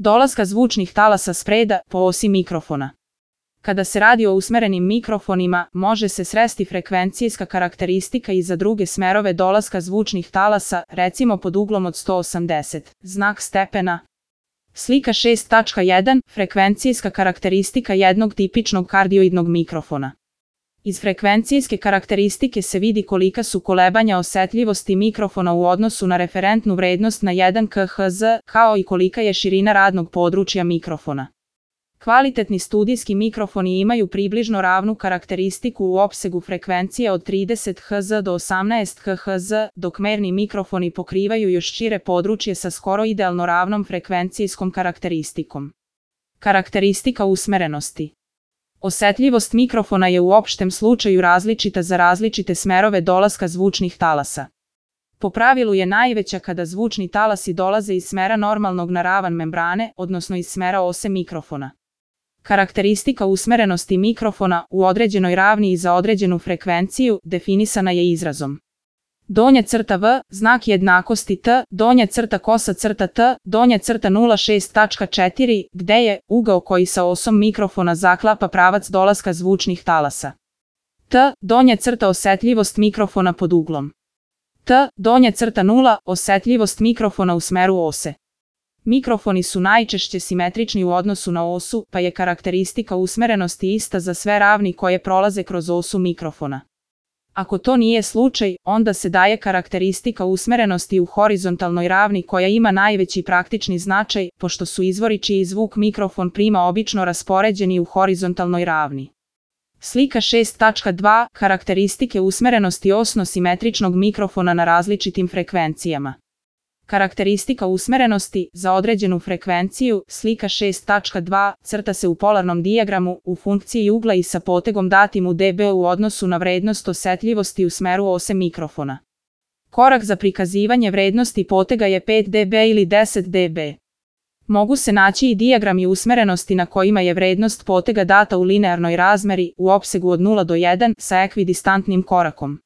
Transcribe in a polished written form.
Dolaska zvučnih talasa spreda po osi mikrofona. Kada se radi o usmerenim mikrofonima, može se sresti frekvencijska karakteristika i za druge smerove dolaska zvučnih talasa, recimo pod uglom od 180, znak stepena. Slika 6.1. Frekvencijska karakteristika jednog tipičnog kardioidnog mikrofona. Iz frekvencijske karakteristike se vidi kolika su kolebanja osetljivosti mikrofona u odnosu na referentnu vrednost na 1 kHz, kao i kolika je širina radnog područja mikrofona. Kvalitetni studijski mikrofoni imaju približno ravnu karakteristiku u opsegu frekvencije od 30 Hz do 18 kHz, dok merni mikrofoni pokrivaju još šire područje sa skoro idealno ravnom frekvencijskom karakteristikom. Karakteristika usmerenosti. Osetljivost mikrofona je u opštem slučaju različita za različite smerove dolaska zvučnih talasa. Po pravilu je najveća kada zvučni talasi dolaze iz smera normalnog na ravan membrane, odnosno iz smera ose mikrofona. Karakteristika usmerenosti mikrofona u određenoj ravni i za određenu frekvenciju definisana je izrazom donja crta V, znak jednakosti T, donja crta kosa crta T, donja crta 0,6.4, gde je ugao koji sa osom mikrofona zaklapa pravac dolaska zvučnih talasa. T, donja crta osetljivost mikrofona pod uglom T, donja crta 0, osetljivost mikrofona u smeru ose. Mikrofoni su najčešće simetrični u odnosu na osu, pa je karakteristika usmerenosti ista za sve ravni koje prolaze kroz osu mikrofona. Ako to nije slučaj, onda se daje karakteristika usmerenosti u horizontalnoj ravni koja ima najveći praktični značaj, pošto su izvori čiji zvuk mikrofon prima obično raspoređeni u horizontalnoj ravni. Slika 6.2. Karakteristike usmerenosti osno-simetričnog mikrofona na različitim frekvencijama. Karakteristika usmerenosti za određenu frekvenciju, slika 6.2, crta se u polarnom dijagramu u funkciji ugla i sa potegom datim u dB u odnosu na vrednost osetljivosti u smeru ose mikrofona. Korak za prikazivanje vrednosti potega je 5 dB ili 10 dB. Mogu se naći i dijagrami usmerenosti na kojima je vrednost potega data u linearnoj razmeri u opsegu od 0 do 1 sa ekvidistantnim korakom.